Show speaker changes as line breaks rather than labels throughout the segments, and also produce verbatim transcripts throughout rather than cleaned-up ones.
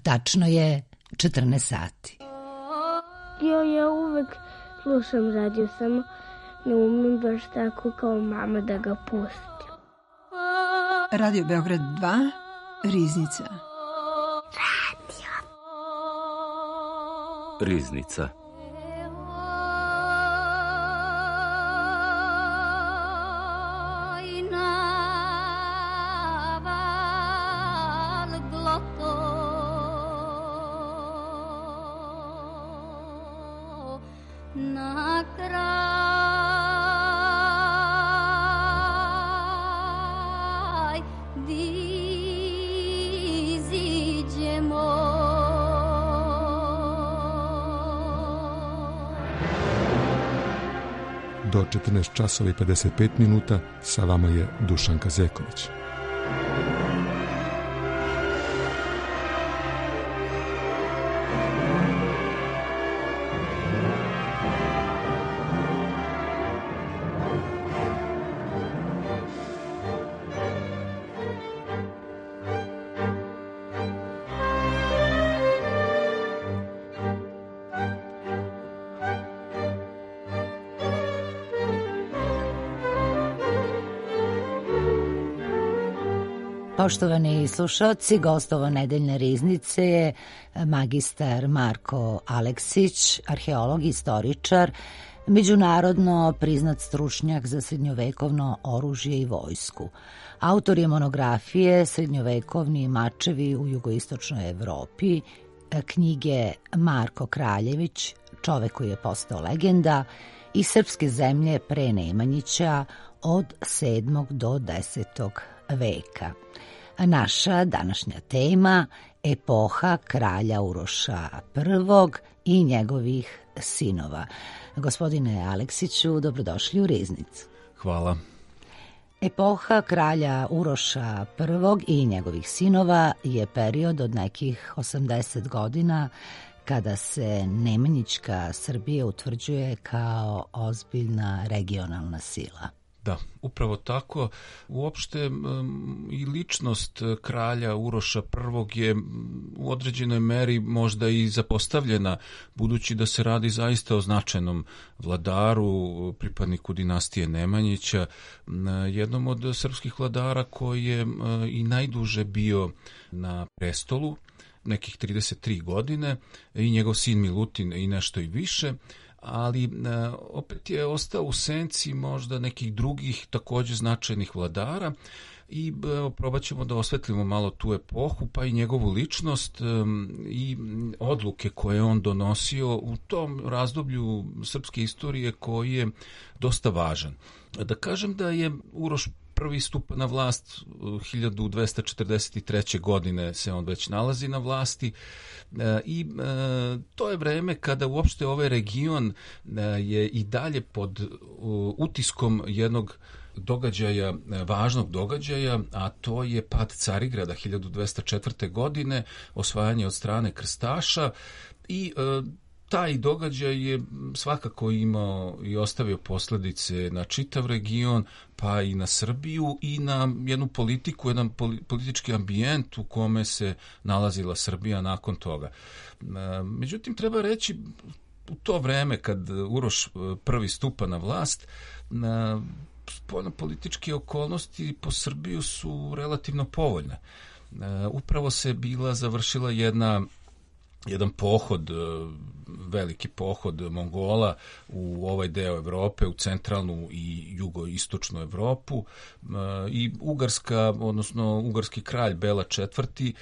Tačno je četrnaest sati.
Jo, ja uvek slušam radio, samo ne umem baš tako kao mama da ga pustim.
Radio Beograd dva, Riznica.
Radio.
Riznica.
Do četrnaest časova i pedeset pet minuta sa vama je Dušanka Zeković.
Poštovani slušalci, gost ovo nedeljne riznice je magistar Marko Aleksić, arheolog i istoričar, međunarodno priznat stručnjak za srednjovekovno oružje i vojsku. Autor je monografije Srednjovekovni mačevi u jugoistočnoj Evropi, knjige Marko Kraljević, Čovek koji je postao legenda, i Srpske zemlje pre Nemanjića od sedmog do desetog veka. Naša današnja tema – epoha kralja Uroša prvog i njegovih sinova. Gospodine Aleksiću, dobrodošli u Riznicu.
Hvala.
Epoha kralja Uroša prvog i njegovih sinova je period od nekih osamdeset godina kada se Nemanjićka Srbija utvrđuje kao ozbiljna regionalna sila.
Da, upravo tako. Uopšte um, i ličnost kralja Uroša prvog je u određenoj meri možda i zapostavljena, budući da se radi zaista o značajnom vladaru, pripadniku dinastije Nemanjića, jednom od srpskih vladara koji je uh, i najduže bio na prestolu, nekih trideset tri godine, i njegov sin Milutin i nešto i više, ali opet je ostao u senci možda nekih drugih također značajnih vladara i evo, probat ćemo da osvetlimo malo tu epohu, pa i njegovu ličnost i odluke koje je on donosio u tom razdoblju srpske istorije koji je dosta važan. Da kažem da je Uroš prvi stupa na vlast hiljadu dvesta četrdeset treće. godine se on već nalazi na vlasti e, i e, to je vreme kada uopšte ovaj region e, je i dalje pod e, utiskom jednog događaja, važnog događaja, a to je pad Carigrada hiljadu dvesta četvrte. godine, osvajanje od strane krstaša i e, taj događaj je svakako imao i ostavio posljedice na čitav region, pa i na Srbiju i na jednu politiku, jedan politički ambijent u kome se nalazila Srbija nakon toga. Međutim, treba reći, u to vreme kad Uroš prvi stupa na vlast, spoljnopolitičke okolnosti po Srbiju su relativno povoljne. Upravo se bila završila jedna jedan pohod, veliki pohod Mongola u ovaj deo Evrope, u centralnu i jugoistočnu Evropu, i Ugarska, odnosno ugarski kralj Bela četvrti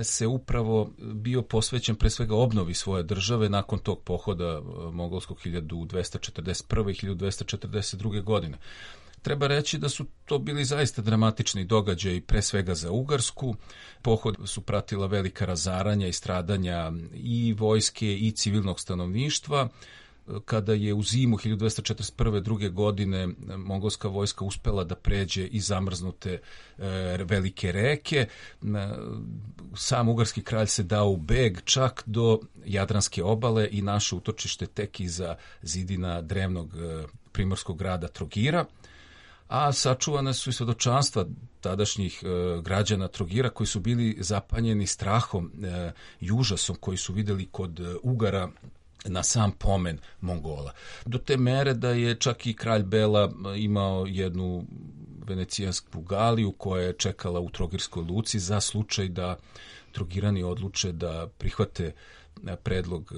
se upravo bio posvećen pre svega obnovi svoje države nakon tog pohoda mongolskog hiljadu dvesta četrdeset prve. i hiljadu dvesta četrdeset druge. godine. Treba reći da su to bili zaista dramatični događaji, pre svega za Ugarsku. Pohod su pratila velika razaranja i stradanja i vojske i civilnog stanovništva. Kada je u zimu hiljadu dvesta četrdeset prve. druge godine mongolska vojska uspela da pređe i zamrznute e, velike reke, sam ugarski kralj se dao u beg čak do Jadranske obale i naše utočište tek iza zidina drevnog e, primorskog grada Trogira. a sačuvane su i svedočanstva tadašnjih e, građana Trogira koji su bili zapanjeni strahom e, i užasom koji su vidjeli kod e, Ugara na sam pomen Mongola. Do te mere da je čak i kralj Bela imao jednu venecijansku galiju koja je čekala u Trogirskoj luci za slučaj da Trogirani odluče da prihvate predlog e,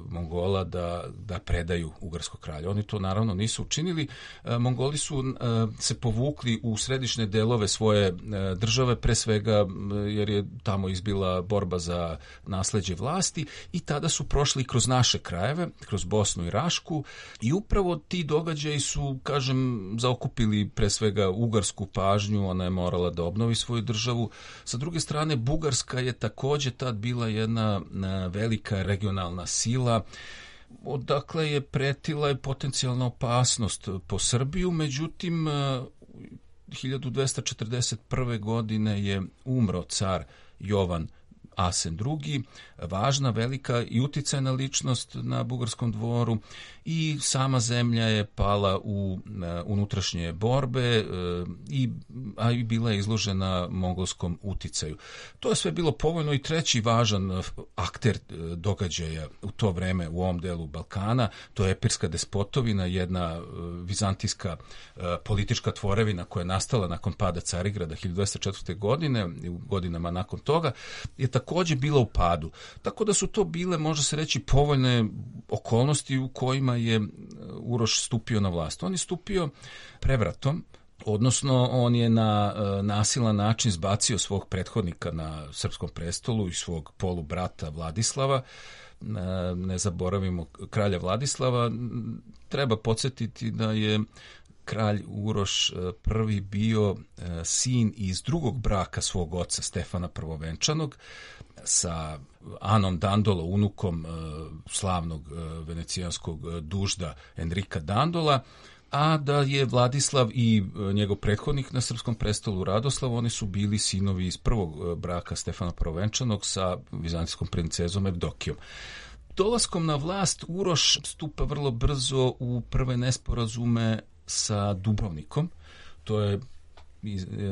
Mongola da, da predaju ugarskog kralja. Oni to naravno nisu učinili. E, Mongoli su e, se povukli u središnje delove svoje e, države, pre svega e, jer je tamo izbila borba za nasleđe vlasti i tada su prošli kroz naše krajeve, kroz Bosnu i Rašku i upravo ti događaji su, kažem, zaokupili pre svega ugarsku pažnju, ona je morala da obnovi svoju državu. Sa druge strane, Bugarska je takođe tad bila jedna velika velika regionalna sila, odakle je pretila i potencijalna opasnost po Srbiju, međutim hiljadu dvesta četrdeset prve. godine je umro car Jovan Asen drugi, važna, velika i uticajna ličnost na bugarskom dvoru i sama zemlja je pala u unutrašnje borbe i, a i bila je izložena mongolskom uticaju. To je sve bilo povoljno i treći važan akter događaja u to vreme u ovom delu Balkana, to je Epirska despotovina, jedna vizantijska politička tvorevina koja je nastala nakon pada Carigrada hiljadu dvesta četvrte. godine i u godinama nakon toga je takođe bila u padu. Tako da su to bile, može se reći, povoljne okolnosti u kojima je Uroš stupio na vlast. On je stupio prevratom, odnosno on je na nasilan način zbacio svog prethodnika na srpskom prestolu i svog polubrata Vladislava. Ne zaboravimo kralja Vladislava. Treba podsjetiti da je kralj Uroš prvi bio sin iz drugog braka svog oca Stefana Prvovenčanog sa Anom Dandolo, unukom slavnog venecijanskog dužda Enrika Dandola, a da je Vladislav i njegov prethodnik na srpskom prestolu Radoslav, oni su bili sinovi iz prvog braka Stefana Prvovenčanog sa vizantijskom princezom Evdokijom. Dolaskom na vlast Uroš stupa vrlo brzo u prve nesporazume sa Dubrovnikom. To je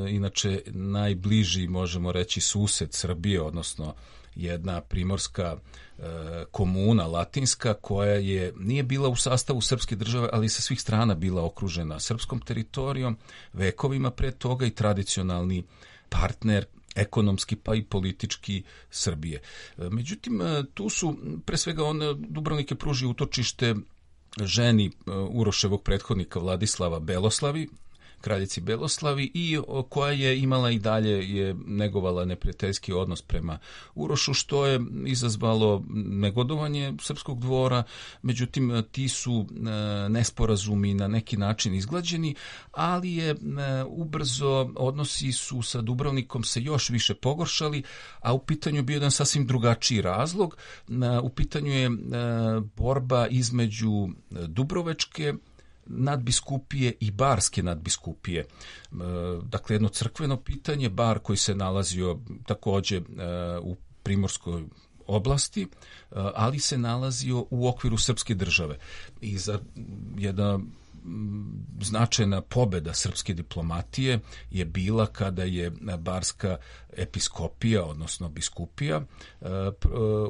inače najbliži, možemo reći, sused Srbije, odnosno jedna primorska e, komuna latinska koja je nije bila u sastavu srpske države, ali sa svih strana bila okružena srpskom teritorijom, vekovima pre toga i tradicionalni partner ekonomski pa i politički Srbije. E, međutim, tu su pre svega on, Dubrovnik je pružio utočište ženi Uroševog prethodnika Vladislava Beloslavi, kraljici Beloslavi, i koja je imala i dalje je negovala neprijateljski odnos prema Urošu, što je izazvalo negodovanje srpskog dvora. Međutim, ti su nesporazumi na neki način izglađeni, ali je ubrzo odnosi su sa Dubrovnikom se još više pogoršali, a u pitanju je bio jedan sasvim drugačiji razlog. U pitanju je borba između Dubrovačke nadbiskupije i barske nadbiskupije. Dakle, jedno crkveno pitanje, Bar koji se nalazio takođe u primorskoj oblasti, ali se nalazio u okviru srpske države. I za jedna značajna pobeda srpske diplomatije je bila kada je barska episkopija, odnosno biskupija,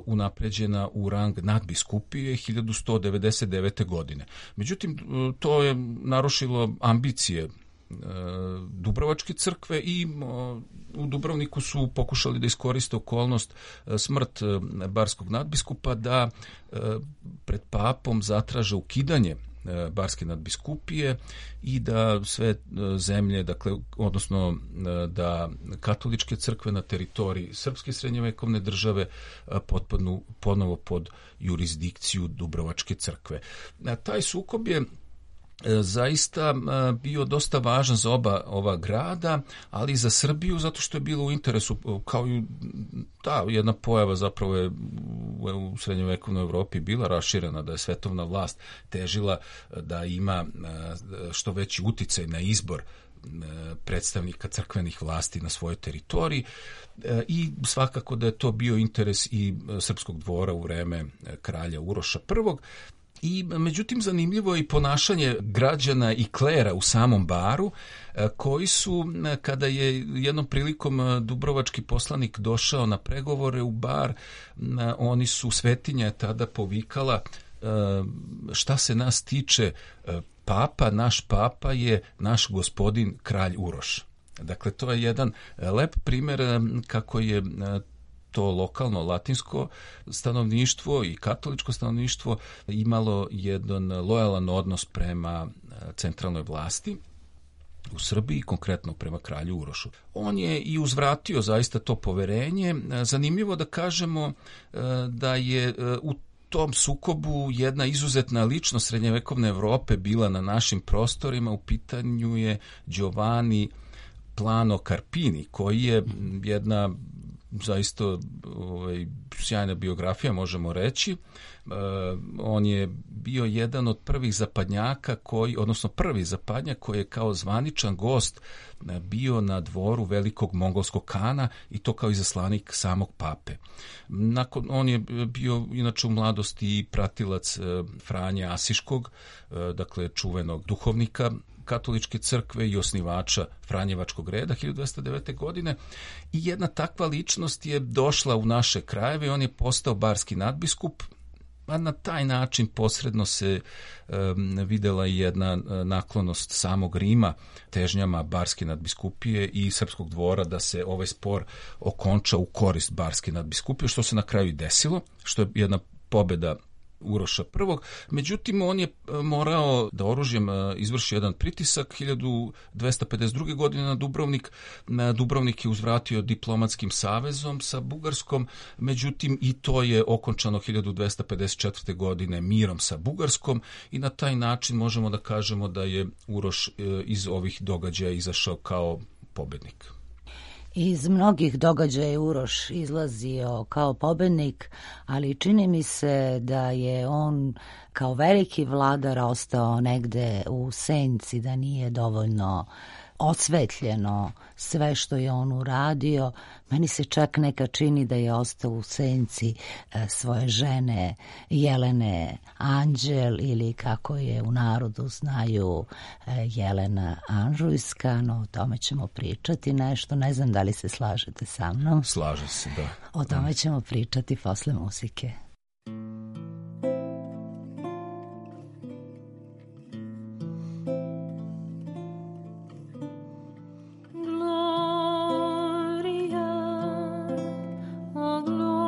unapređena u rang nadbiskupije hiljadu sto devedeset devete. godine. Međutim, to je narušilo ambicije Dubrovačke crkve i u Dubrovniku su pokušali da iskoriste okolnost smrt barskog nadbiskupa da pred papom zatraže ukidanje barske nadbiskupije i da sve zemlje, dakle, odnosno da katoličke crkve na teritoriji srpske srednjovekovne države potpadnu ponovo pod jurisdikciju Dubrovačke crkve. Taj sukob je zaista bio dosta važan za oba ova grada, ali i za Srbiju, zato što je bilo u interesu, kao i ta jedna pojava zapravo je u srednjovekovnoj Evropi bila raširena, da je svetovna vlast težila da ima što veći uticaj na izbor predstavnika crkvenih vlasti na svojoj teritoriji i svakako da je to bio interes i srpskog dvora u vreme kralja Uroša prvog. I međutim zanimljivo je i ponašanje građana i klera u samom baru, koji su, kada je jednom prilikom dubrovački poslanik došao na pregovore u bar, oni su, svetinja je tada povikala, šta se nas tiče, papa, naš papa je naš gospodin kralj Uroš. Dakle, to je jedan lep primjer kako je to lokalno latinsko stanovništvo i katoličko stanovništvo imalo jedan lojalan odnos prema centralnoj vlasti u Srbiji, konkretno prema kralju Urošu. On je i uzvratio zaista to poverenje. Zanimljivo da kažemo da je u tom sukobu jedna izuzetna ličnost srednjevekovne Evrope bila na našim prostorima. U pitanju je Giovanni Plano Carpini, koji je jedna zaista ovaj, sjajna biografija, možemo reći. E, on je bio jedan od prvih zapadnjaka, koji, odnosno prvi zapadnjak koji je kao zvaničan gost bio na dvoru velikog mongolskog kana i to kao izaslanik samog pape. Nakon, on je bio inače u mladosti i pratilac e, Franje Asiškog, e, dakle čuvenog duhovnika katoličke crkve i osnivača Franjevačkog reda hiljadu dvesta devete. godine i jedna takva ličnost je došla u naše krajeve i on je postao barski nadbiskup, a na taj način posredno se um, videla i jedna naklonost samog Rima težnjama barske nadbiskupije i srpskog dvora da se ovaj spor okonča u korist barske nadbiskupije, što se na kraju i desilo, što je jedna pobeda Uroša prvog. Međutim, on je morao da oružjem izvrši jedan pritisak hiljadu dvesta pedeset druge. godine na Dubrovnik. Dubrovnik je uzvratio diplomatskim savezom sa Bugarskom, međutim i to je okončano hiljadu dvesta pedeset četvrte. godine mirom sa Bugarskom i na taj način možemo da kažemo da je Uroš iz ovih događaja izašao kao pobednik.
Iz mnogih događaja Uroš izlazio kao pobednik, ali čini mi se da je on kao veliki vladar ostao negde u senci, da nije dovoljno osvetljeno sve što je on uradio. Meni se čak neka čini da je ostao u senci svoje žene Jelene Anđel, ili kako je u narodu znaju Jelena Anžujska, no o tome ćemo pričati nešto. Ne znam da li se slažete sa mnom.
Slaže se, da.
O tome ćemo pričati posle muzike.
Gloria, oh gloria.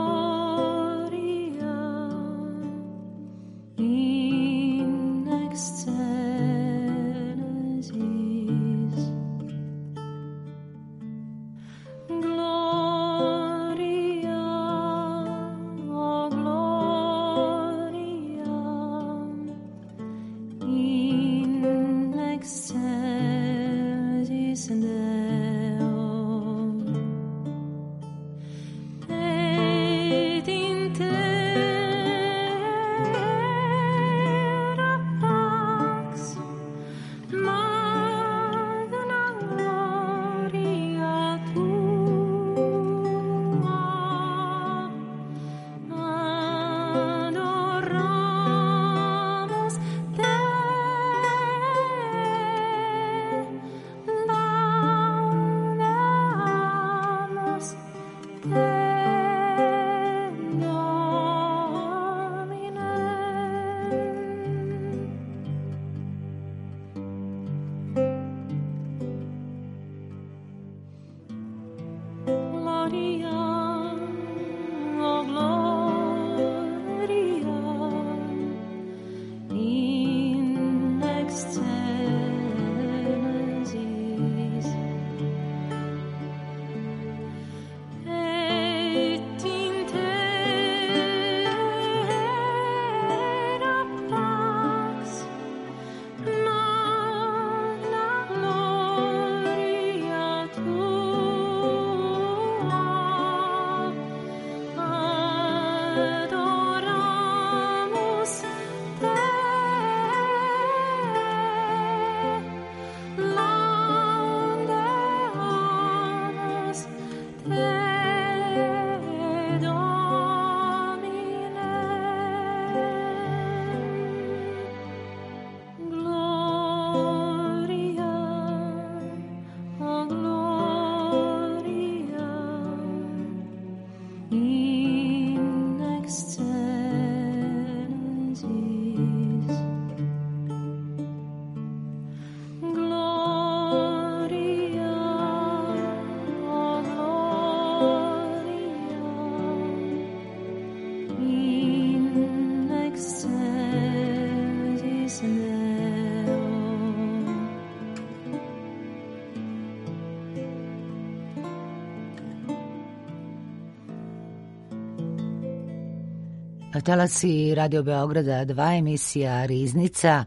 Talasi Radio Beograda dva, emisija Riznica.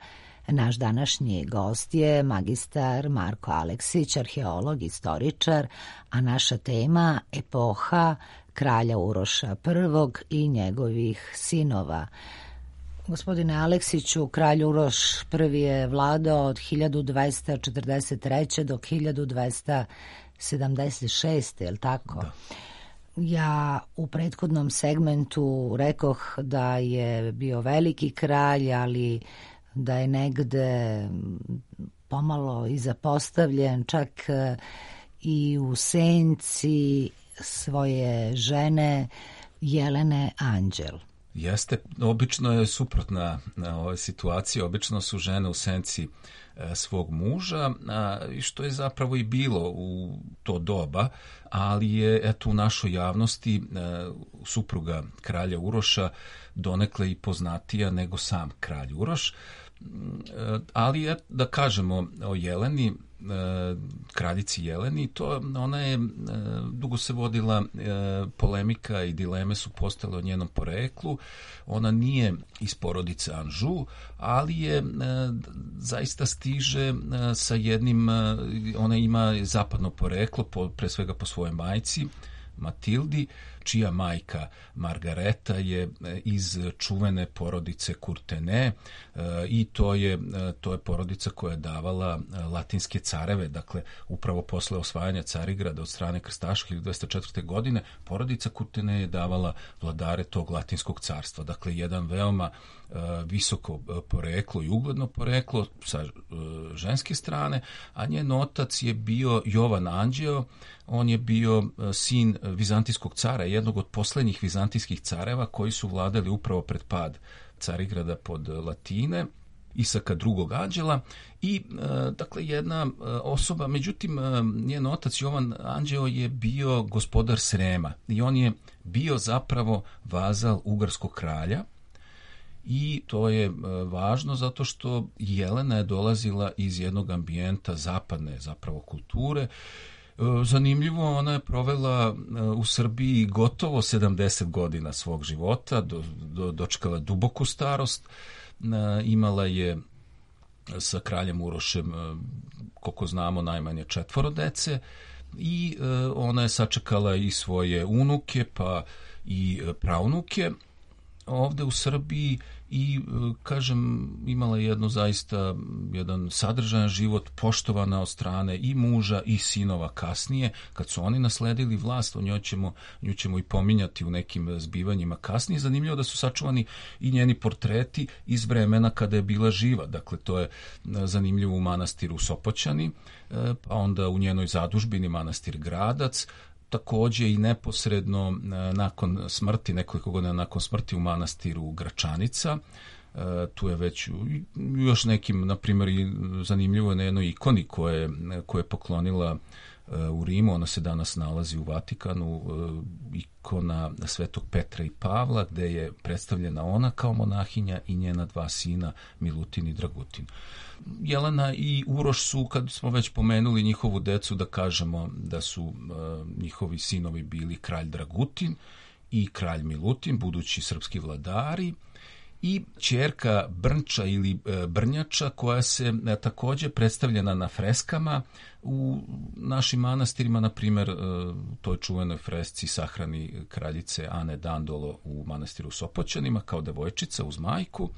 Naš današnji gost je magistar Marko Aleksić, arheolog, istoričar, a naša tema epoha kralja Uroša prvog i njegovih sinova. Gospodine Aleksiću, kralj Uroš prvi je vladao od hiljadu dvesta četrdeset treće do hiljadu dvesta sedamdeset šeste, je li tako?
Da.
Ja u prethodnom segmentu rekoh da je bio veliki kralj, ali da je negde pomalo i zapostavljen, čak i u senci svoje žene Jelene Anđel.
Jeste, obično je suprotna ova situacija, obično su žene u senci svog muža, što je zapravo i bilo u to doba, ali je eto u našoj javnosti supruga kralja Uroša donekle i poznatija nego sam kralj Uroš. Ali je, da kažemo o Jeleni, kraljici Jeleni, to ona je, dugo se vodila polemika i dileme su postale o njenom poreklu. Ona nije iz porodice Anžu, ali je zaista stiže sa jednim, ona ima zapadno poreklo, pre svega po svojoj majci Matildi, čija majka Margareta je iz čuvene porodice Kurtene i to je, to je porodica koja je davala latinske careve, dakle upravo posle osvajanja Carigrada od strane krstaša hiljadu dvesta četvrte. godine porodica Kurtene je davala vladare tog latinskog carstva, dakle jedan veoma visoko poreklo i ugledno poreklo sa ženske strane, a njen otac je bio Jovan Anđeo. On je bio sin vizantijskog cara, jednog od poslednjih vizantijskih careva koji su vladali upravo pred pad Carigrada pod Latine, Isaka drugog Anđela i dakle jedna osoba, međutim njen otac Jovan Anđeo je bio gospodar Srema i on je bio zapravo vazal ugarskog kralja. I to je važno zato što Jelena je dolazila iz jednog ambijenta zapadne zapravo kulture. Zanimljivo, ona je provela u Srbiji gotovo sedamdeset godina svog života, do, do, dočekala duboku starost, imala je sa kraljem Urošem, koliko znamo, najmanje četvoro dece i ona je sačekala i svoje unuke pa i praunuke ovde u Srbiji i, kažem, imala jedno zaista jedan sadržajan život, poštovana od strane i muža i sinova kasnije. Kad su oni nasledili vlast, o njoj ćemo, nju ćemo i pominjati u nekim zbivanjima kasnije. Zanimljivo da su sačuvani i njeni portreti iz vremena kada je bila živa. Dakle, to je zanimljivo u manastiru Sopoćani, pa onda u njenoj zadužbini manastir Gradac, takođe i neposredno nakon smrti, nekoliko godina nakon smrti u manastiru Gračanica. Tu je već još nekim, na primjer, zanimljivo je na jednoj ikoni koje, koje je poklonila u Rimu, ona se danas nalazi u Vatikanu, ikona Svetog Petra i Pavla, gde je predstavljena ona kao monahinja i njena dva sina Milutin i Dragutin. Jelena i Uroš su, kad smo već pomenuli njihovu decu, da kažemo da su uh, njihovi sinovi bili kralj Dragutin i kralj Milutin, budući srpski vladari, i ćerka Brnča ili e, Brnjača, koja se e, takođe predstavljena na freskama u našim manastirima, na primjer, e, toj čuvenoj fresci sahrani kraljice Ane Dandolo u manastiru Sopoćanima kao devojčica uz majku,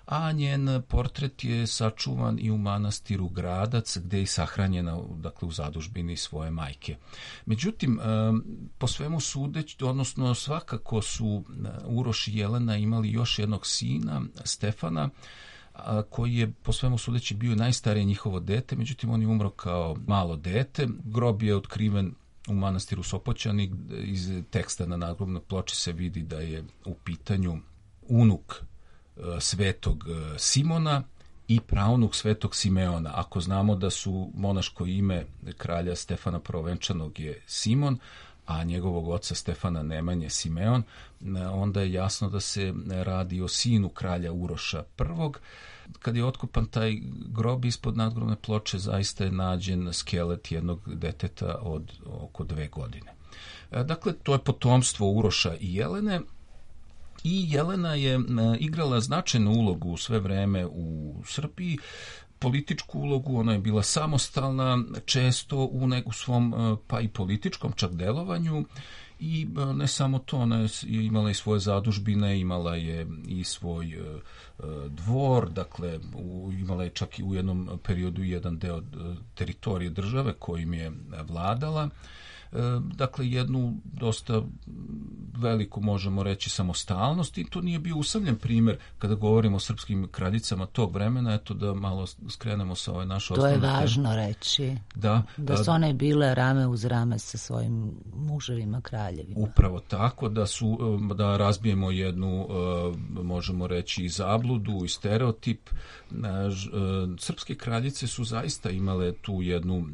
a njen portret je sačuvan i u manastiru Gradac, gde je sahranjena, dakle, u zadužbini svoje majke. Međutim, po svemu sudeći, odnosno svakako su Uroš i Jelena imali još jednog sina, Stefana, koji je po svemu sudeći bio najstarije njihovo dete, međutim on je umro kao malo dete. Grob je otkriven u manastiru Sopoćani, iz teksta na nadgrobnoj ploči se vidi da je u pitanju unuk svetog Simona i praunuk svetog Simeona. Ako znamo da su monaško ime kralja Stefana Prvovenčanog je Simon, a njegovog oca Stefana Nemanje Simeon, onda je jasno da se radi o sinu kralja Uroša prvog. Kad je otkopan taj grob ispod nadgrobne ploče, zaista je nađen skelet jednog deteta od oko dve godine. Dakle, to je potomstvo Uroša i Jelene. I Jelena je igrala značajnu ulogu sve vreme u Srbiji, političku ulogu, ona je bila samostalna, često u neku svom pa i političkom čak delovanju. I ne samo to, ona je imala i svoje zadužbine, imala je i svoj dvor, dakle imala je čak i u jednom periodu jedan deo teritorije države kojim je vladala. Dakle, jednu dosta veliku, možemo reći, samostalnost, i to nije bio usamljen primjer kada govorimo o srpskim kraljicama tog vremena. Eto da malo skrenemo sa ove naše osnovne teme.
To je važno reći, da, da su one bile rame uz rame sa svojim muževima kraljevima.
Upravo tako, da su, da razbijemo jednu, možemo reći, i zabludu i stereotip. Srpske kraljice su zaista imale tu jednu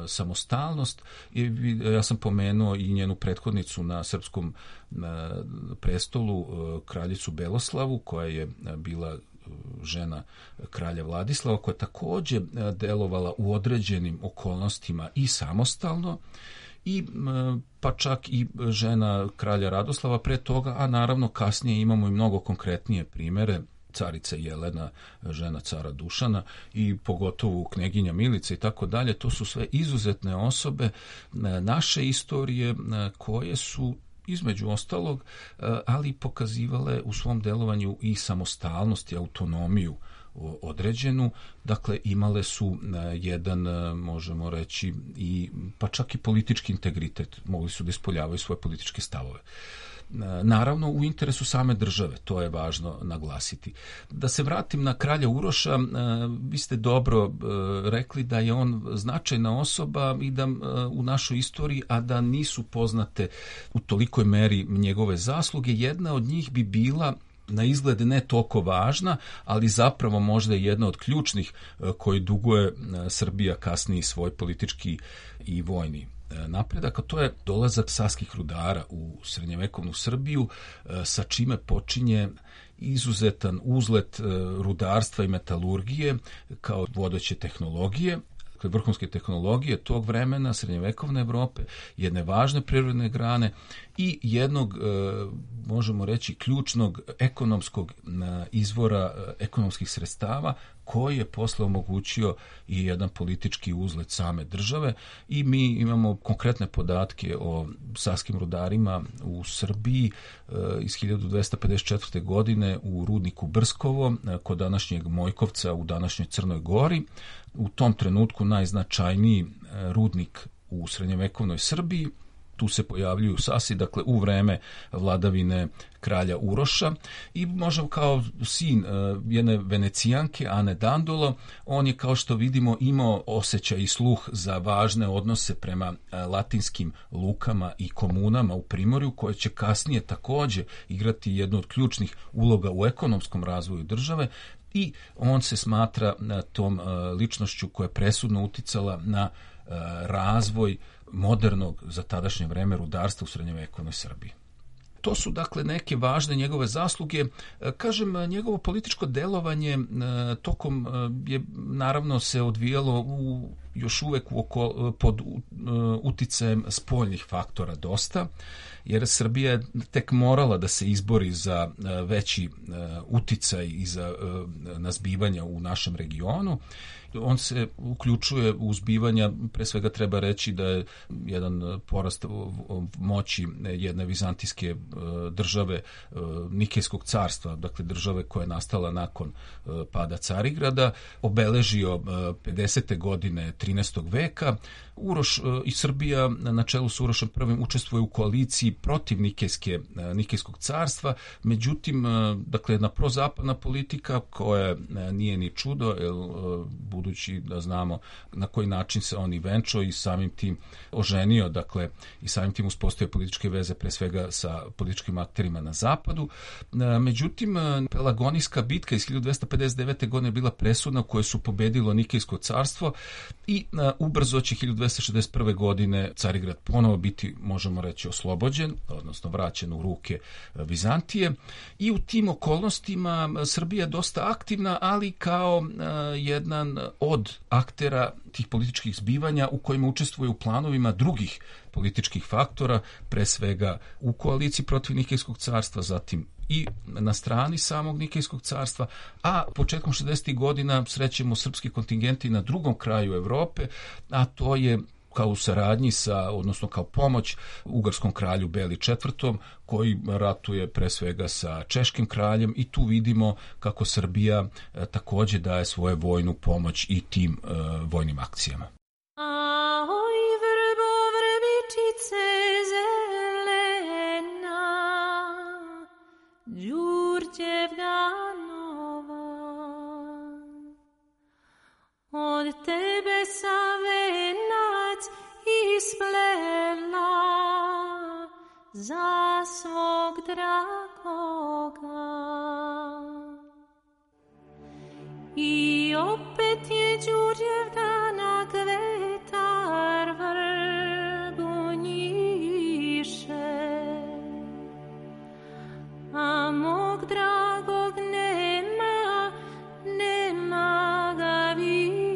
samostalnost, i ja sam pomenuo i njenu prethodnicu na srpskom prestolu, kraljicu Beloslavu, koja je bila žena kralja Vladislava, koja je također delovala u određenim okolnostima i samostalno, i pa čak i žena kralja Radoslava pre toga, a naravno kasnije imamo i mnogo konkretnije primere, carica Jelena, žena cara Dušana, i pogotovo kneginja Milica i tako dalje. To su sve izuzetne osobe naše istorije koje su između ostalog, ali pokazivale u svom delovanju i samostalnost i autonomiju određenu. Dakle, imale su jedan, možemo reći, i pa čak i politički integritet. Mogli su da ispoljavaju svoje političke stavove. Naravno, u interesu same države, to je važno naglasiti. Da se vratim na kralja Uroša, vi ste dobro rekli da je on značajna osoba i da u našoj istoriji, a da nisu poznate u tolikoj meri njegove zasluge. Jedna od njih bi bila, na izgled ne toliko važna, ali zapravo možda je jedna od ključnih koji duguje Srbija kasniji svoj politički i vojni napredak, a to je dolazak saskih rudara u srednjevekovnu Srbiju, sa čime počinje izuzetan uzlet rudarstva i metalurgije kao vodeće tehnologije, vrhunske tehnologije tog vremena, srednjevekovne Evrope, jedne važne prirodne grane i jednog, možemo reći, ključnog ekonomskog izvora ekonomskih sredstava, koji je posle omogućio i jedan politički uzlet same države. I mi imamo konkretne podatke o saskim rudarima u Srbiji iz hiljadu dvesta pedeset četvrte. godine u rudniku Brskovo kod današnjeg Mojkovca u današnjoj Crnoj Gori. U tom trenutku najznačajniji rudnik u srednjevekovnoj Srbiji. Tu se pojavljuju sasi, dakle u vreme vladavine kralja Uroša, i možemo kao sin jedne Venecijanke, Ane Dandolo, on je, kao što vidimo, imao osjećaj i sluh za važne odnose prema latinskim lukama i komunama u Primorju, koje će kasnije također igrati jednu od ključnih uloga u ekonomskom razvoju države, i on se smatra tom ličnošću koja je presudno uticala na razvoj modernog za tadašnje vreme rudarstva u srednjevekovnoj Srbiji. To su, dakle, neke važne njegove zasluge. Kažem, njegovo političko delovanje tokom je naravno se odvijalo u, još uvek u oko, pod uticajem spoljnih faktora dosta, jer Srbija je tek morala da se izbori za veći uticaj i za nazbivanja u našem regionu. On se uključuje u zbivanja, pre svega treba reći da je jedan porast moći jedne vizantijske države, Nikejskog carstva, dakle države koja je nastala nakon pada Carigrada, obeležio pedesete godine trinaestog veka. Uroš i Srbija na čelu s Urošem prvim učestvuje u koaliciji protiv Nikejske, Nikejskog carstva, međutim, dakle, jedna prozapadna politika koja nije ni čudo, jer budući da znamo na koji način se on i venčao i samim tim oženio, dakle, i samim tim uspostavio političke veze pre svega sa političkim akterima na zapadu. Međutim, Pelagonijska bitka iz hiljadu dvesta pedeset devete. godine je bila presudna, u kojoj su pobedilo Nikejsko carstvo, i ubrzo će hiljadu dvesta šezdeset prve. godine Carigrad ponovo biti, možemo reći, oslobođen, odnosno vraćen u ruke Vizantije, i u tim okolnostima Srbija je dosta aktivna, ali kao jedan od aktera tih političkih zbivanja u kojima učestvuje u planovima drugih političkih faktora, pre svega u koaliciji protiv Nikejskog carstva, zatim i na strani samog Nikejskog carstva, a početkom šezdesetih godina srećemo srpski kontingenti na drugom kraju Evrope, a to je kao u saradnji sa, odnosno kao pomoć ugarskom kralju Beli četvrtom, koji ratuje pre svega sa češkim kraljem, i tu vidimo kako Srbija e, takođe daje svoju vojnu pomoć i tim e, vojnim akcijama.
Ahoj, vrbo, vrbičice zelena, Đurđevna nova, od tebe sam venac isplela za svog dragoga. I opet je Đurđevdana kvetar vrbu njiše, a mog dragog nema, nema ga više.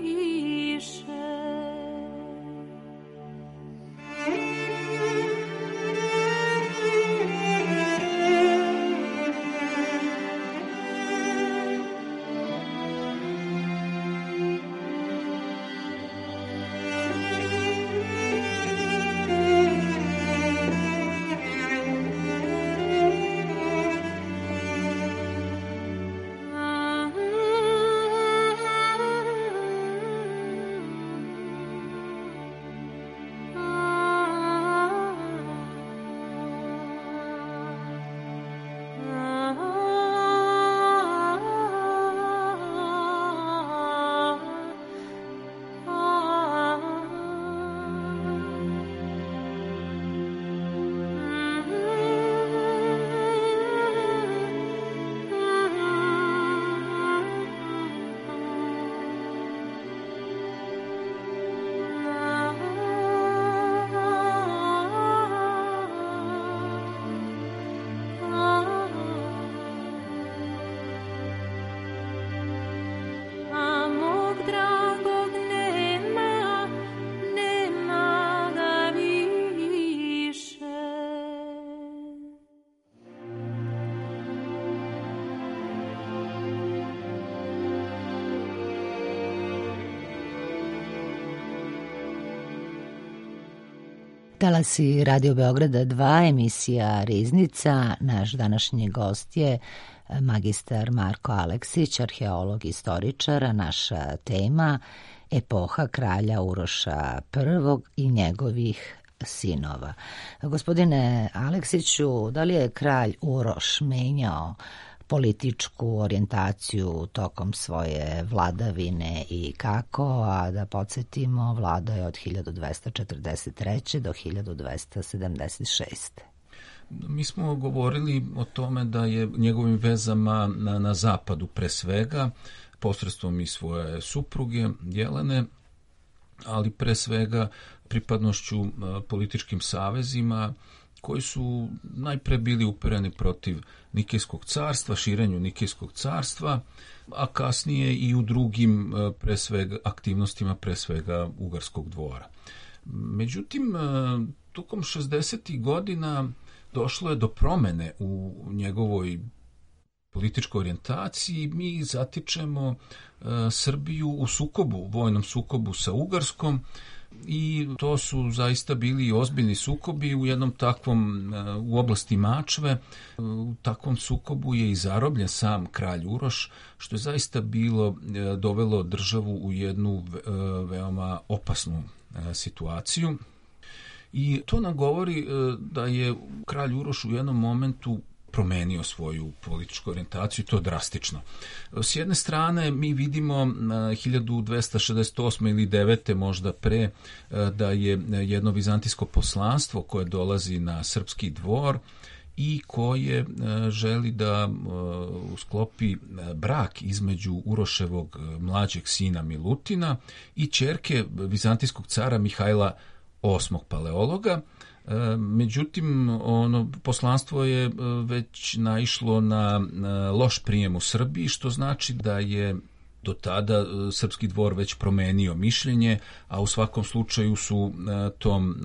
Talasi Radio Beograda dva, emisija Riznica. Naš današnji gost je magistar Marko Aleksić, arheolog i istoričar, a naša tema epoha kralja Uroša prvog i njegovih sinova. Gospodine Aleksiću, da li je kralj Uroš menjao političku orijentaciju tokom svoje vladavine i kako, a da podsjetimo, vladao je od hiljadu dvesta četrdeset treće do hiljadu dvesta sedamdeset šeste.
Mi smo govorili o tome da je njegovim vezama na, na zapadu pre svega, posredstvom i svoje supruge Jelene, ali pre svega pripadnošću političkim savezima koji su najpre bili upereni protiv Nikejskog carstva, širenju Nikejskog carstva, a kasnije i u drugim pre svega aktivnostima, pre svega Ugarskog dvora. Međutim, tokom šezdesetih godina došlo je do promene u njegovoj političkoj orijentaciji. Mi zatičemo Srbiju u sukobu, vojnom sukobu sa Ugarskom, i to su zaista bili ozbiljni sukobi u jednom takvom, u oblasti Mačve. U takvom sukobu je i zarobljen sam kralj Uroš, što je zaista bilo, dovelo državu u jednu veoma opasnu situaciju. I to nam govori da je kralj Uroš u jednom momentu promenio svoju političku orijentaciju, to drastično. S jedne strane mi vidimo hiljadu dvesta šezdeset osme ili devete možda pre da je jedno vizantijsko poslanstvo koje dolazi na srpski dvor i koje želi da sklopi brak između Uroševog mlađeg sina Milutina i ćerke vizantijskog cara Mihajla osmog Paleologa. Međutim, ono poslanstvo je već naišlo na, na loš prijem u Srbiji, što znači da je do tada srpski dvor već promenio mišljenje, a u svakom slučaju su tom,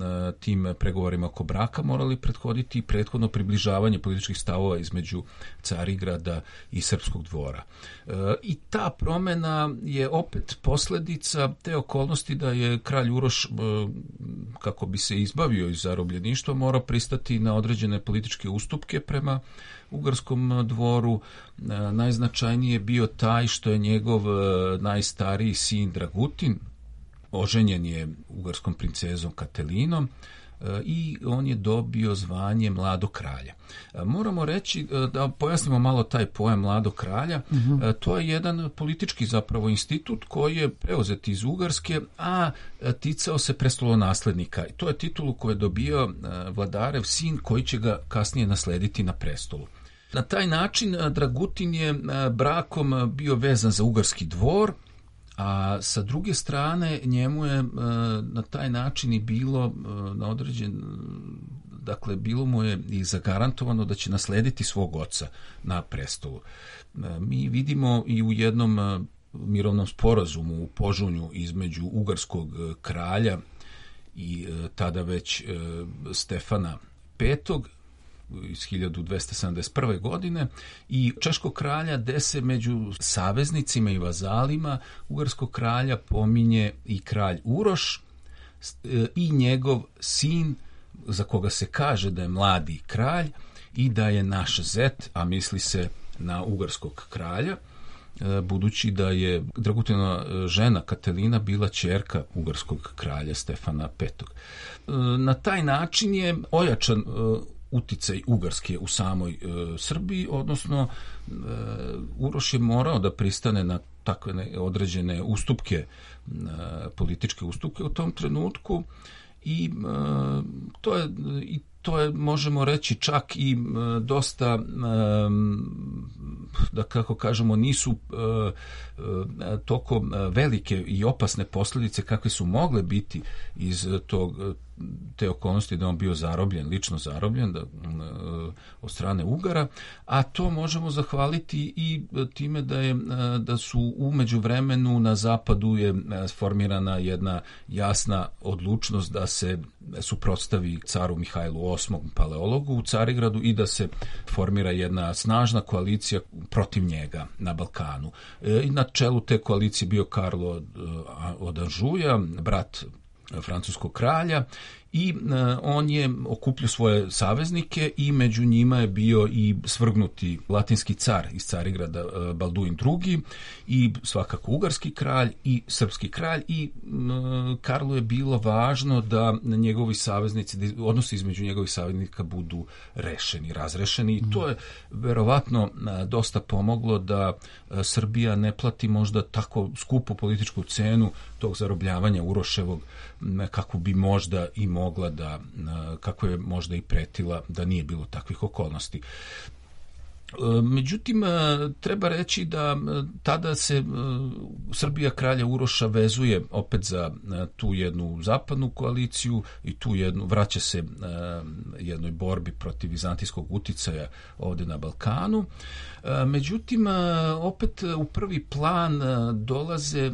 tim pregovorima oko braka morali prethoditi prethodno približavanje političkih stavova između Carigrada i srpskog dvora. I ta promena je opet posljedica te okolnosti da je kralj Uroš, kako bi se izbavio iz zarobljeništva, morao pristati na određene političke ustupke prema ugarskom dvoru. Najznačajniji je bio taj što je njegov najstariji sin Dragutin oženjen je ugarskom princezom Katelinom i on je dobio zvanje mladog kralja. Moramo reći, da pojasnimo malo taj pojam mladog kralja, uh-huh. To je jedan politički zapravo institut koji je preuzet iz Ugarske, a ticao se prestolonaslednika. To je titulu koju je dobio vladarev sin koji će ga kasnije naslediti na prestolu. Na taj način Dragutin je brakom bio vezan za ugarski dvor, a sa druge strane njemu je na taj način i bilo na određen, dakle bilo mu je i zagarantovano da će naslediti svog oca na prestolu. Mi vidimo i u jednom mirovnom sporazumu u Požunju između ugarskog kralja i tada već Stefana petog iz hiljadu dvesta sedamdeset prve. godine i češkog kralja, gde se među saveznicima i vazalima ugarskog kralja pominje i kralj Uroš i njegov sin, za koga se kaže da je mladi kralj i da je naš zet, a misli se na ugarskog kralja, budući da je Dragutinova žena Katelina bila ćerka ugarskog kralja Stefana petog. Na taj način je ojačan uticaj Ugarske u samoj e, Srbiji, odnosno e, Uroš je morao da pristane na takve određene ustupke, e, političke ustupke u tom trenutku i e, to je i to je, možemo reći, čak i e, dosta, e, da kako kažemo, nisu e, e, toko velike i opasne posljedice kakve su mogle biti iz tog te okolnosti da on bio zarobljen, lično zarobljen da, od strane Ugara, a to možemo zahvaliti i time da je da su u međuvremenu na zapadu je formirana jedna jasna odlučnost da se suprotstavi caru Mihajlu osmom paleologu u Carigradu i da se formira jedna snažna koalicija protiv njega na Balkanu. I na čelu te koalicije bio Karlo od Anžuja, brat francuskog kralja, i uh, on je okupljao svoje saveznike i među njima je bio i svrgnuti latinski car iz Carigrada uh, Balduin drugi i svakako ugarski kralj i srpski kralj i uh, Karlu je bilo važno da njegovi saveznici, da odnosi između njegovih saveznika budu rešeni, razrešeni i to je verovatno uh, dosta pomoglo da uh, Srbija ne plati možda tako skupu političku cenu tog zarobljavanja Uroševog kako bi možda i mogla da, kako je možda i pretila da nije bilo takvih okolnosti. Međutim, treba reći da tada se Srbija kralja Uroša vezuje opet za tu jednu zapadnu koaliciju i tu jednu, vraća se jednoj borbi protiv vizantijskog uticaja ovde na Balkanu. Međutim, opet u prvi plan dolaze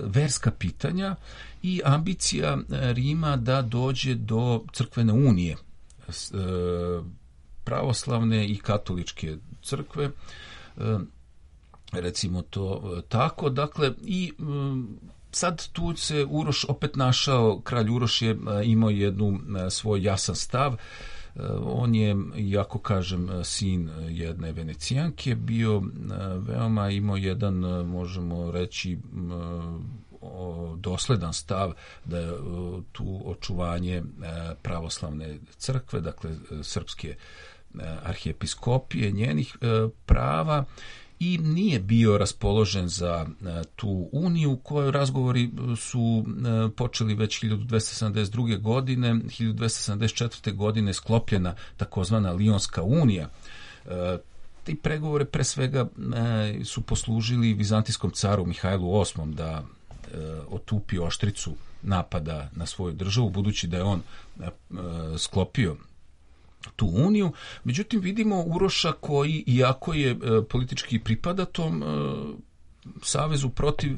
verska pitanja i ambicija Rima da dođe do crkvene unije pravoslavne i katoličke crkve, recimo to tako. Dakle, i sad tu se Uroš opet našao, kralj Uroš je imao jednu svoj jasan stav. On je, iako kažem, sin jedne Venecijanke, bio veoma imao jedan, možemo reći, dosledan stav da je tu očuvanje pravoslavne crkve, dakle srpske arhijepiskopije, njenih prava, i nije bio raspoložen za tu uniju, koju razgovori su počeli već hiljadu dvesta sedamdeset druge. godine, hiljadu dvesta sedamdeset četvrte. godine sklopljena takozvana Lionska unija. Ti pregovore pre svega su poslužili vizantijskom caru Mihajlu osmom da otupi oštricu napada na svoju državu, budući da je on sklopio tu uniju. Međutim, vidimo Uroša koji, iako je politički pripada tom savezu protiv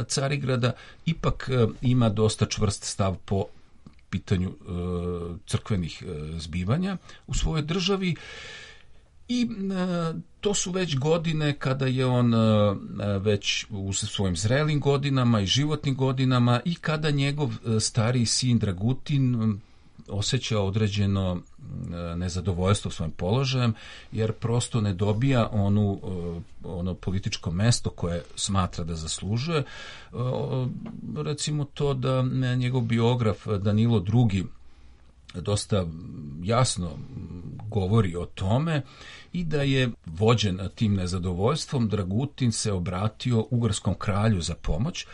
Carigrada ipak ima dosta čvrst stav po pitanju crkvenih zbivanja u svojoj državi. I to su već godine kada je on već u svojim zrelim godinama i životnim godinama i kada njegov stariji sin Dragutin osjeća određeno nezadovoljstvo svojim položajem, jer prosto ne dobija onu, ono političko mesto koje smatra da zaslužuje. Recimo to da njegov biograf Danilo drugi dosta jasno govori o tome i da je vođen tim nezadovoljstvom, Dragutin se obratio ugarskom kralju za pomoć,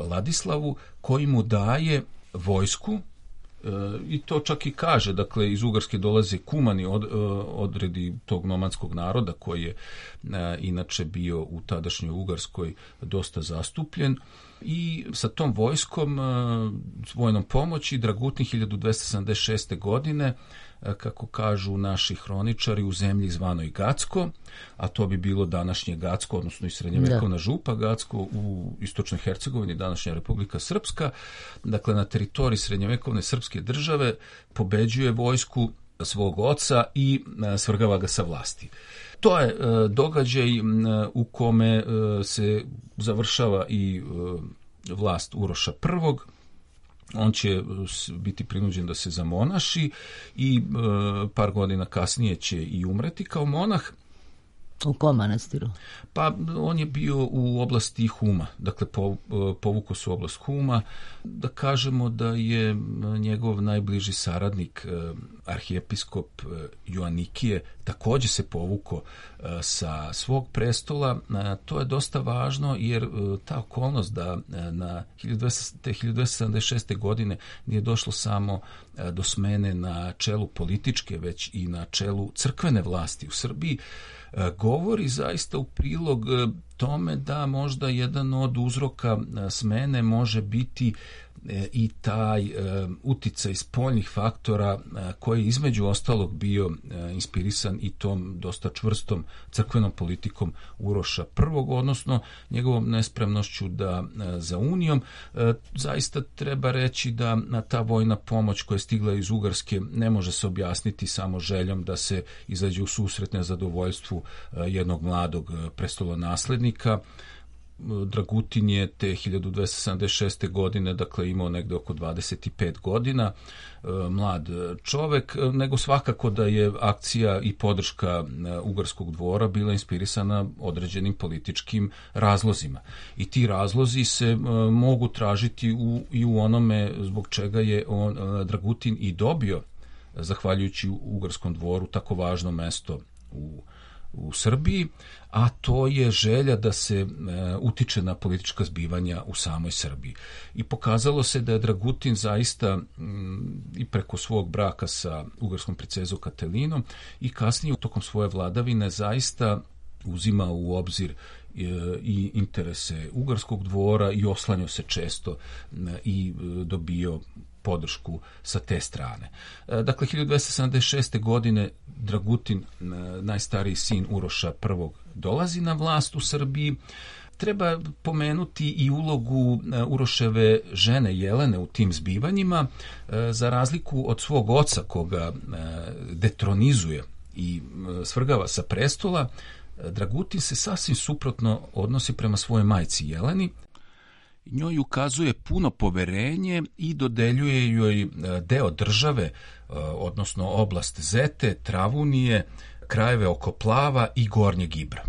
Ladislavu, koji mu daje vojsku. I to čak i kaže, dakle iz Ugarske dolaze kumani od, odredi tog nomadskog naroda koji je inače bio u tadašnjoj Ugarskoj dosta zastupljen, i sa tom vojskom, s vojnom pomoći, Dragutin hiljadu dvesta sedamdeset šeste. godine, kako kažu naši hroničari, u zemlji zvanoj Gacko, a to bi bilo današnje Gacko, odnosno i srednjevekovna župa Gacko u istočnoj Hercegovini, današnja Republika Srpska, dakle na teritoriji srednjevekovne srpske države, pobeđuje vojsku svog oca i svrgava ga sa vlasti. To je događaj u kome se završava i vlast Uroša prvog. On će biti prinuđen da se zamonaši i par godina kasnije će i umreti kao monah.
U kom manastiru?
Pa on je bio u oblasti Huma, dakle povukao se u oblast Huma. Da kažemo da je njegov najbliži saradnik, arhijepiskop Joanikije, također se povukao sa svog prestola. To je dosta važno, jer ta okolnost da na hiljadu dvesta sedamdeset šeste. godine nije došlo samo do smene na čelu političke, već i na čelu crkvene vlasti u Srbiji, govori zaista u prilog tome da možda jedan od uzroka smene može biti i taj uticaj spoljnih faktora koji je između ostalog bio inspirisan i tom dosta čvrstom crkvenom politikom Uroša prvog, odnosno njegovom nespremnošću da za unijom. Zaista treba reći da ta vojna pomoć koja je stigla iz Ugarske ne može se objasniti samo željom da se izađe u susret nezadovoljstvu jednog mladog prestolonaslednika. Dragutin je te hiljadu dvesta sedamdeset šeste. godine, dakle imao negde oko dvadeset pet godina, mlad čovek, nego svakako da je akcija i podrška Ugarskog dvora bila inspirisana određenim političkim razlozima. I ti razlozi se mogu tražiti u, i u onome zbog čega je on, Dragutin i dobio, zahvaljujući Ugarskom dvoru, tako važno mesto u u Srbiji, a to je želja da se e, utiče na politička zbivanja u samoj Srbiji. I pokazalo se da je Dragutin zaista m, i preko svog braka sa ugarskom princezom Katelinom i kasnije tokom svoje vladavine zaista uzima u obzir e, i interese Ugarskog dvora i oslanjao se često e, i e, dobio podršku sa te strane. Dakle, hiljadu dvesta sedamdeset šeste. godine Dragutin, najstariji sin Uroša prvog, dolazi na vlast u Srbiji. Treba pomenuti i ulogu Uroševe žene Jelene u tim zbivanjima. Za razliku od svog oca, koga detronizuje i svrgava sa prestola, Dragutin se sasvim suprotno odnosi prema svojoj majci Jeleni. Njoj ukazuje puno poverenje i dodeljuje joj deo države, odnosno oblast Zete, Travunije, krajeve oko Plava i Gornjeg Ibra.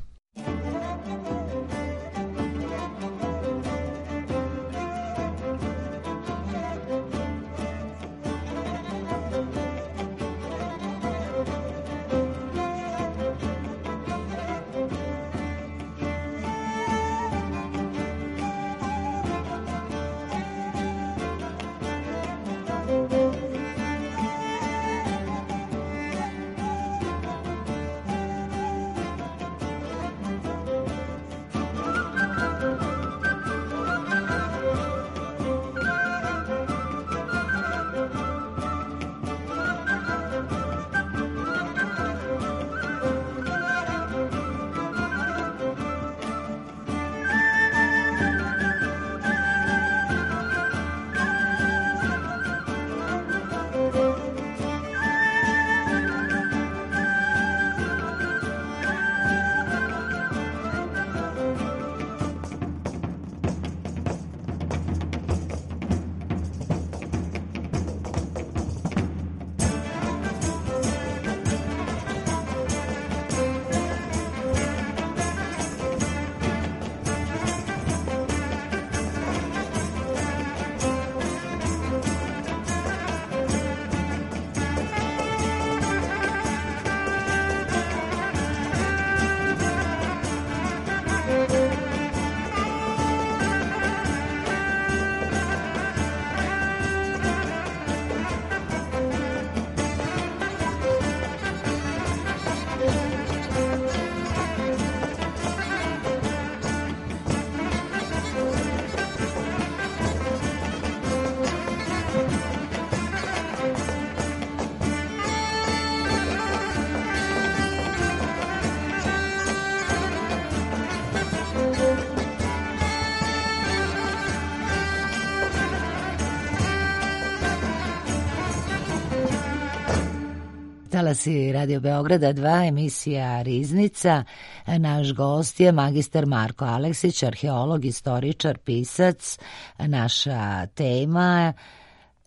Talasi Radio Beograda dva, emisija Riznica. Naš gost je magistar Marko Aleksić, arheolog, istoričar, pisac. Naša tema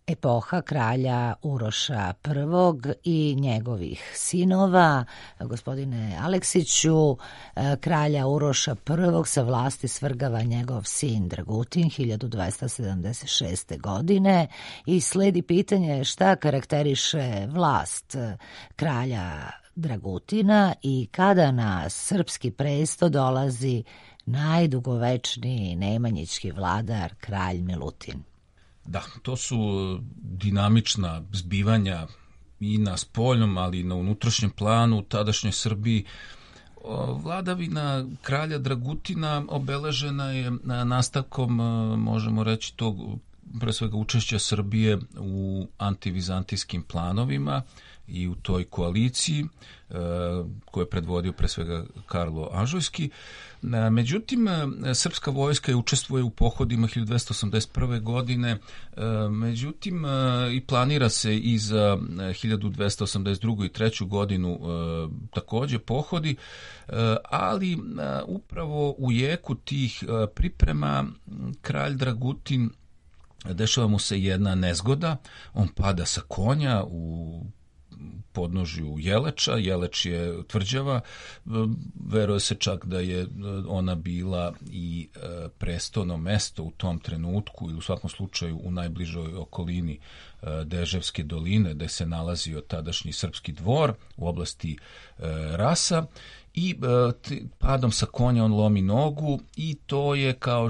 epoha kralja Uroša prvog i njegovih sinova. Gospodine Aleksiću, kralja Uroša prvog sa vlasti svrgava njegov sin Dragutin hiljadu dvesta sedamdeset šeste. godine i sledi pitanje šta karakteriše vlast kralja Dragutina i kada na srpski presto dolazi najdugovečniji nemanjićki vladar, kralj Milutin.
Da, to su dinamična zbivanja i na spoljnom, ali i na unutrašnjem planu u tadašnjoj Srbiji. Vladavina kralja Dragutina obeležena je nastavkom, možemo reći, tog pre svega učešća Srbije u antivizantijskim planovima i u toj koaliciji koju je predvodio pre svega Karlo Ažujski. Međutim, srpska vojska je učestvuje u pohodima hiljadu dvesta osamdeset prve. godine, međutim i planira se i za hiljadu dvesta osamdeset drugu. i treću. godinu takođe pohodi, ali upravo u jeku tih priprema kralj Dragutin, dešava mu se jedna nezgoda, on pada sa konja u podnožju Jeleča. Jeleč je tvrđava, veruje se čak da je ona bila i prestolno mesto u tom trenutku ili u svakom slučaju u najbližoj okolini Deževske doline gde se nalazio tadašnji srpski dvor u oblasti Rasa. I padom sa konja on lomi nogu i to je, kao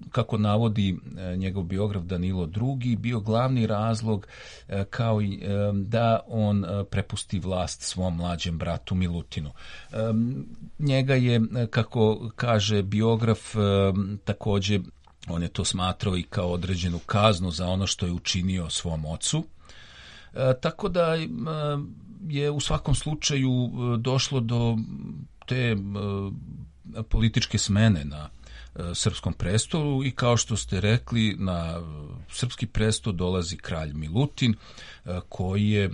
kako navodi njegov biograf Danilo drugi, bio glavni razlog kao i da on prepusti vlast svom mlađem bratu Milutinu. Njega je, kako kaže biograf, takođe on je to smatrao i kao određenu kaznu za ono što je učinio svom ocu. Tako da je u svakom slučaju došlo do te političke smene na srpskom prestolu i kao što ste rekli, na srpski prestol dolazi kralj Milutin koji je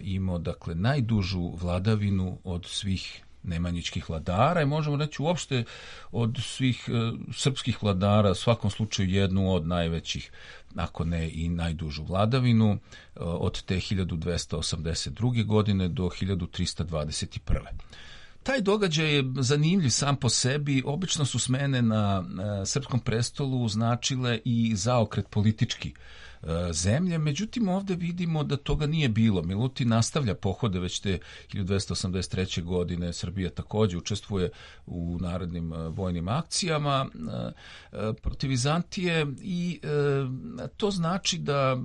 imao, dakle, najdužu vladavinu od svih nemanjićkih vladara i možemo reći uopšte od svih srpskih vladara, u svakom slučaju jednu od najvećih, ako ne i najdužu vladavinu, od te hiljadu dvesta osamdeset druge. godine do hiljadu trista dvadeset prve. Taj događaj je zanimljiv sam po sebi. Obično su smene na srpskom prestolu značile i zaokret politički zemlje, međutim ovde vidimo da toga nije bilo. Milutin nastavlja pohode već te hiljadu dvesta osamdeset treće. godine. Srbija takođe učestvuje u narodnim vojnim akcijama protiv Vizantije i to znači da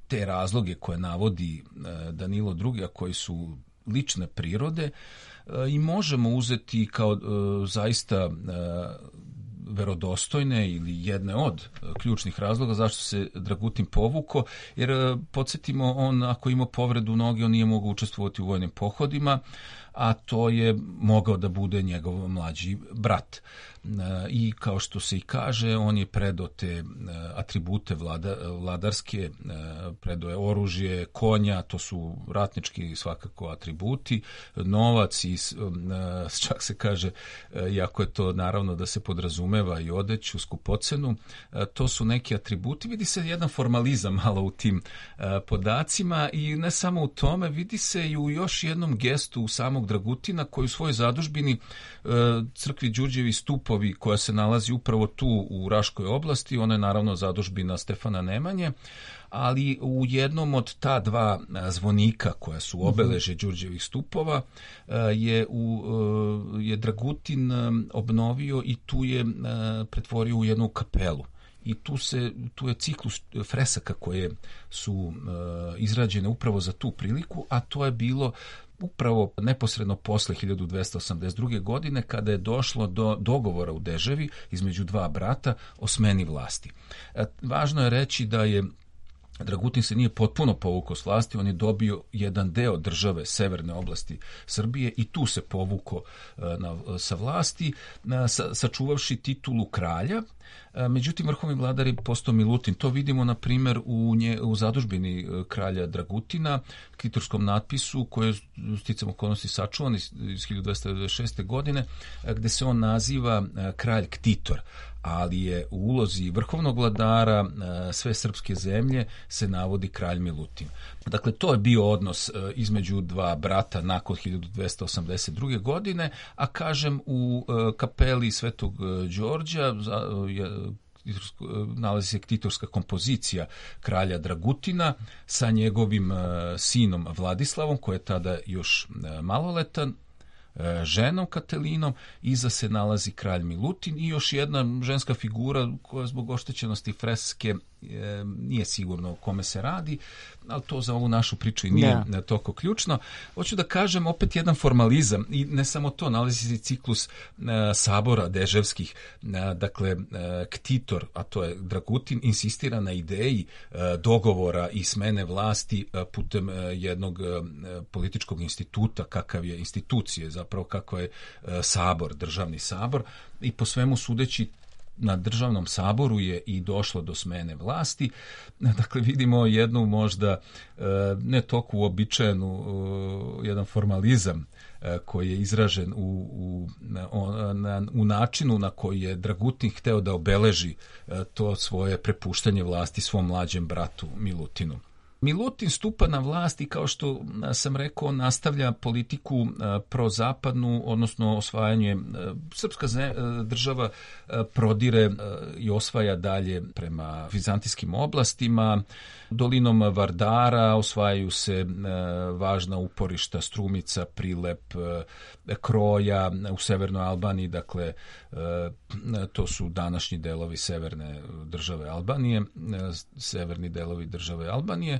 te razloge koje navodi Danilo drugi, a koji su lične prirode, i možemo uzeti kao zaista verodostojne ili jedne od ključnih razloga zašto se Dragutin povuko, jer podsjetimo, on ako ima povredu noge, on nije mogao učestvovati u vojnim pohodima, a to je mogao da bude njegov mlađi brat. I kao što se i kaže, on je predao te atribute vlada, vladarske, predao je oružje, konja, to su ratnički svakako atributi, novac i čak se kaže, iako je to naravno da se podrazumeva i odeću, skupocenu, to su neki atributi. Vidi se jedan formalizam malo u tim podacima i ne samo u tome, vidi se i u još jednom gestu samog Dragutina koji u svojoj zadužbini crkvi Đurđevi stupovi koja se nalazi upravo tu u Raškoj oblasti, ona je naravno zadužbina Stefana Nemanje, ali u jednom od ta dva zvonika koja su obeleže Đurđevih stupova je, u, je Dragutin obnovio i tu je pretvorio u jednu kapelu. I tu, se, tu je ciklus fresaka koje su uh, izrađene upravo za tu priliku, a to je bilo upravo neposredno posle hiljadu dvesta osamdeset druge. godine kada je došlo do dogovora u Deževi između dva brata o smeni vlasti. E, važno je reći da je Dragutin se nije potpuno povukao s vlasti, on je dobio jedan deo države, severne oblasti Srbije, i tu se povukao na, sa vlasti, sa, sačuvavši titulu kralja. Međutim, vrhovni vladar je postao Milutin. To vidimo, na primjer, u, nje, u zadužbini kralja Dragutina, ktitorskom natpisu, koje je sticam okolnosti sačuvan iz, iz hiljadu dvesta devedeset šeste. godine, gde se on naziva kralj Ktitor, ali je u ulozi vrhovnog vladara sve srpske zemlje se navodi kralj Milutin. Dakle, to je bio odnos između dva brata nakon hiljadu dvesta osamdeset druge. godine, a kažem, u kapeli Svetog Đorđa nalazi se ktitorska kompozicija kralja Dragutina sa njegovim sinom Vladislavom, koji je tada još maloletan, ženom Katelinom, iza se nalazi kralj Milutin i još jedna ženska figura koja zbog oštećenosti freske e, nije sigurno o kome se radi, ali to za ovu našu priču i nije da. toliko ključno. Hoću da kažem opet jedan formalizam, i ne samo to, nalazi se ciklus e, sabora deževskih, e, dakle e, Ktitor, a to je Dragutin, insistira na ideji e, dogovora i smene vlasti e, putem e, jednog e, političkog instituta, kakav je institucije, zapravo kako je e, sabor, državni sabor, i po svemu sudeći na državnom saboru je i došlo do smene vlasti. Dakle, vidimo jednu možda ne toliko uobičajenu, jedan formalizam koji je izražen u, u, na, u načinu na koji je Dragutin hteo da obeleži to svoje prepuštanje vlasti svom mlađem bratu Milutinu. Milutin stupa na vlast i, kao što sam rekao, nastavlja politiku prozapadnu, odnosno osvajanje. Srpska država prodire i osvaja dalje prema vizantijskim oblastima. Dolinom Vardara osvajaju se važna uporišta Strumica, Prilep, Kroja u severnoj Albaniji, dakle to su današnji delovi severne države Albanije, severni delovi države Albanije,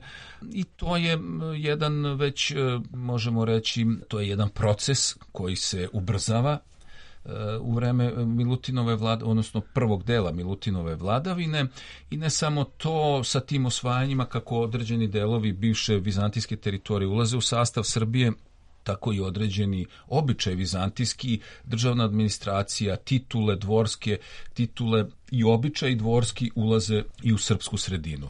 i to je jedan, već možemo reći, to je jedan proces koji se ubrzava u vreme Milutinove vlade, odnosno prvog dela Milutinove vladavine, i ne samo to, sa tim osvajanjima kako određeni delovi bivše vizantijske teritorije ulaze u sastav Srbije, tako i određeni običaj vizantijski, državna administracija, titule dvorske, titule i običaj dvorski ulaze i u srpsku sredinu.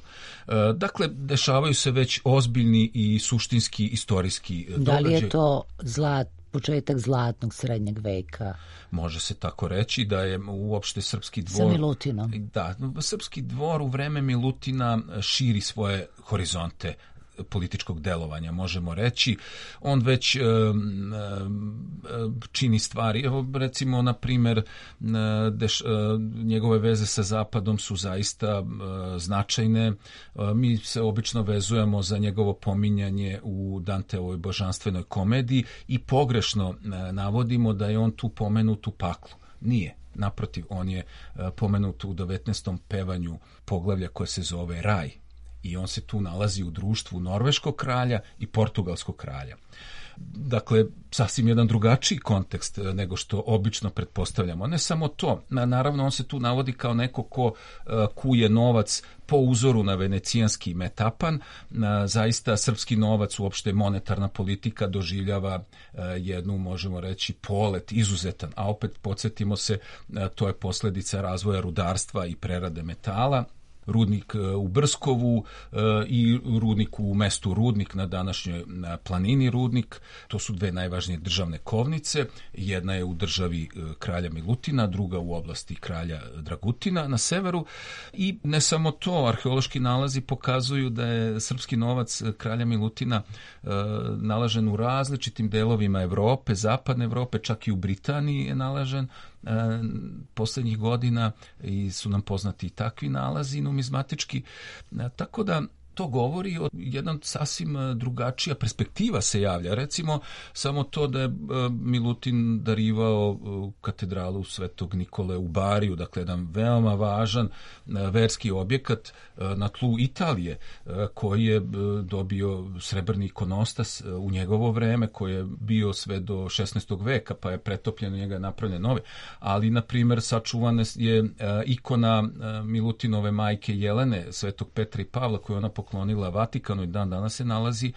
Dakle, dešavaju se već ozbiljni i suštinski istorijski događaj. Da li
je to zlat, početak zlatnog srednjeg veka?
Može se tako reći da je uopšte srpski dvor...
Sa Milutinom.
Da, srpski dvor u vreme Milutina širi svoje horizonte političkog delovanja, možemo reći. On već e, e, čini stvari. Evo, recimo, na primjer, deš, e, njegove veze sa Zapadom su zaista e, značajne. E, mi se obično vezujemo za njegovo pominjanje u Danteovoj božanstvenoj komediji i pogrešno e, navodimo da je on tu pomenut u paklu. Nije. Naprotiv, on je e, pomenut u devetnaestom pevanju poglavlja koje se zove Raj. I on se tu nalazi u društvu norveškog kralja i portugalskog kralja. Dakle, sasvim jedan drugačiji kontekst nego što obično pretpostavljamo. Ne samo to, naravno on se tu navodi kao neko ko kuje novac po uzoru na venecijanski metapan. Zaista srpski novac, uopšte monetarna politika, doživljava jednu, možemo reći, polet izuzetan, a opet podsjetimo se, to je posljedica razvoja rudarstva i prerade metala. Rudnik u Brskovu i rudnik u mestu Rudnik na današnjoj planini Rudnik. To su dve najvažnije državne kovnice. Jedna je u državi kralja Milutina, druga u oblasti kralja Dragutina na severu. I ne samo to, arheološki nalazi pokazuju da je srpski novac kralja Milutina nalažen u različitim delovima Evrope, zapadne Evrope, čak i u Britaniji je nalažen posljednjih godina, i su nam poznati i takvi nalazi numizmatički, tako da to govori o jedan sasvim drugačija perspektiva se javlja. Recimo, samo to da je Milutin darivao katedralu Svetog Nikole u Bariju, dakle jedan veoma važan verski objekat na tlu Italije, koji je dobio srebrni ikonostas u njegovo vreme, koji je bio sve do šesnaestog veka, pa je pretopljen, njega napravljen nove. Ali, na primjer, sačuvana je ikona Milutinove majke Jelene, Svetog Petra i Pavla, koju ona pokazuje poklonila Vatikanu i dan danas se nalazi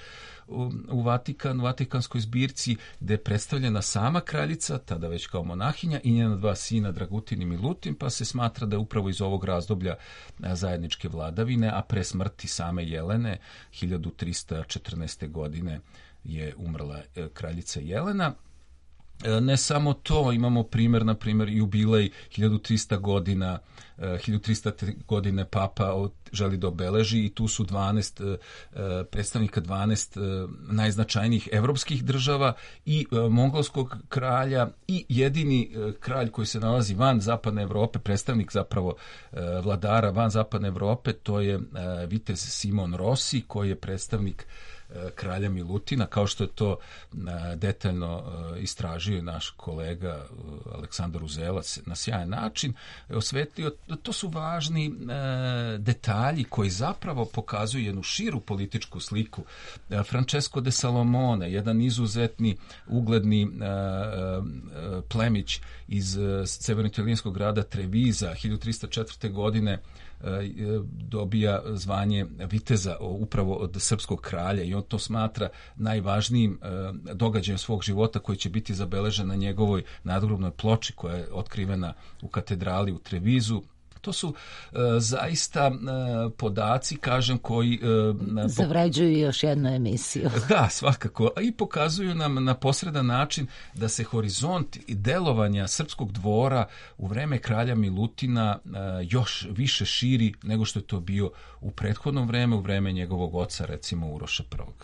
u, u Vatikanu, Vatikanskoj zbirci, gde je predstavljena sama kraljica, tada već kao monahinja, i njena dva sina Dragutin i Milutin, pa se smatra da je upravo iz ovog razdoblja zajedničke vladavine, a pre smrti same Jelene hiljadu trista četrnaeste. godine je umrla kraljica Jelena. Ne samo to, imamo primjer, na primjer, jubilej hiljadu trista godina, hiljadu trista godine papa želi da obeleži i tu su dvanaest predstavnika dvanaest najznačajnijih evropskih država i mongolskog kralja i jedini kralj koji se nalazi van zapadne Evrope, predstavnik zapravo vladara van zapadne Evrope, to je vitez Simon Rossi, koji je predstavnik kralja Milutina, kao što je to detaljno istražio naš kolega Aleksandar Uzelac na sjajan način, osvetlio. To su važni detalji koji zapravo pokazuju jednu širu političku sliku. Francesco de Salomone, jedan izuzetni ugledni plemić iz severno-italijanskog grada Treviza, hiljadu trista četvrte. godine dobija zvanje viteza upravo od srpskog kralja i on to smatra najvažnijim događajem svog života koji će biti zabeležen na njegovoj nadgrobnoj ploči koja je otkrivena u katedrali u Trevizu. To su uh, zaista uh, podaci, kažem, koji... Uh,
zavređuju još jednu emisiju.
Da, svakako. I pokazuju nam na posredan način da se horizont i delovanja srpskog dvora u vreme kralja Milutina uh, još više širi nego što je to bio u prethodnom vreme, u vreme njegovog oca, recimo Uroša prvog.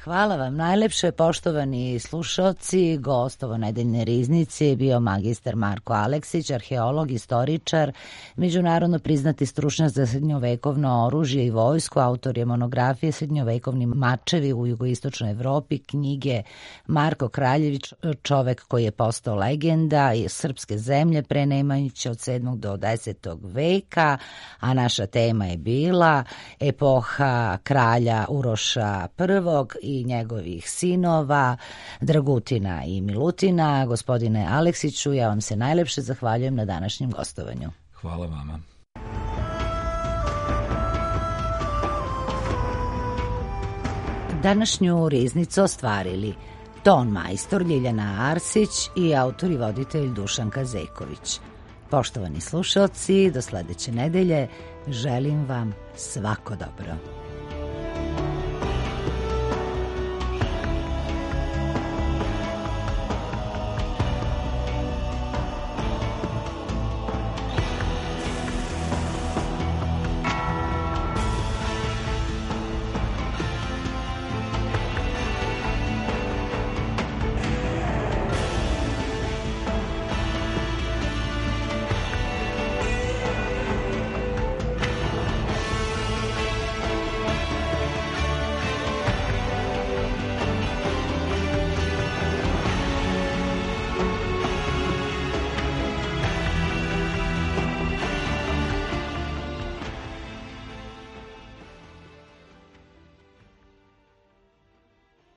Hvala vam najlepše, poštovani slušalci. Gost ovo nedeljne riznice je bio magistar Marko Aleksić, arheolog, istoričar, međunarodno priznati stručnjak za srednjovekovno oružje i vojsku, autor je monografije Srednjovekovni mačevi u jugoistočnoj Evropi, knjige Marko Kraljević, čovek koji je postao legenda iz srpske zemlje pre Nemanjića od sedmog do desetog veka, a naša tema je bila epoha kralja Uroša prvog i njegovih sinova, Dragutina i Milutina. Gospodine Aleksiću, ja vam se najlepše zahvaljujem na današnjem gostovanju.
Hvala vama.
Današnju riznicu ostvarili ton majstor Ljiljana Arsić i autor i voditelj Dušan Kazeković. Poštovani slušalci, do sledeće nedelje želim vam svako dobro.